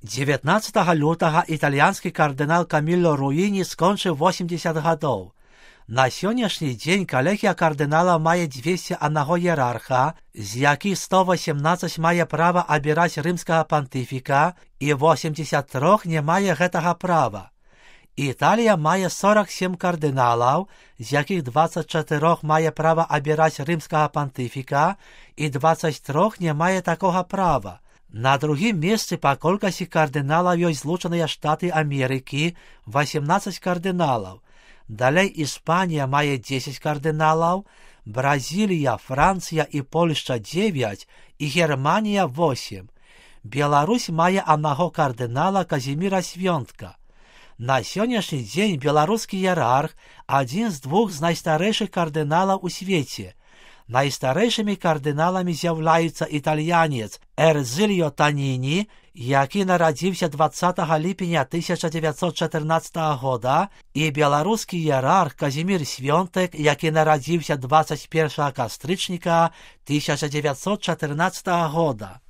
19 лютага італьянскі кардынал Камілло Руіні скончыў 80 гадоў. На сённяшні дзень калегія кардынала мае 201 іерарха, з якіх 118 мае права абіраць рымскага пантыфіка і 83 не мае гэтага права. Італія мае 47 кардыналаў, з якіх 24 мае права абіраць рымскага пантыфіка і 23 не мае такога права. На другім месцы па колькасці кардыналаў ёсць Злучаныя Штаты Амерыкі, 18 кардыналаў. Далей Іспанія мае 10 кардыналаў, Бразілія, Францыя і Польшча 9 і Германія 8. Беларусь мае аднаго кардынала Казіміра Свёнтка. На сённяшні дзень беларускі іерарх адзін з двух з найстарэйшых кардыналаў у свеце. Найстарэйшымі кардыналамі з'яўляюцца італьянец Эрзыльо Таніні, які нарадзіўся 20 ліпеня 1914 года, і беларускі іерарх Казімір Свёнтек, які нарадзіўся 21 кастрычніка 1914 года.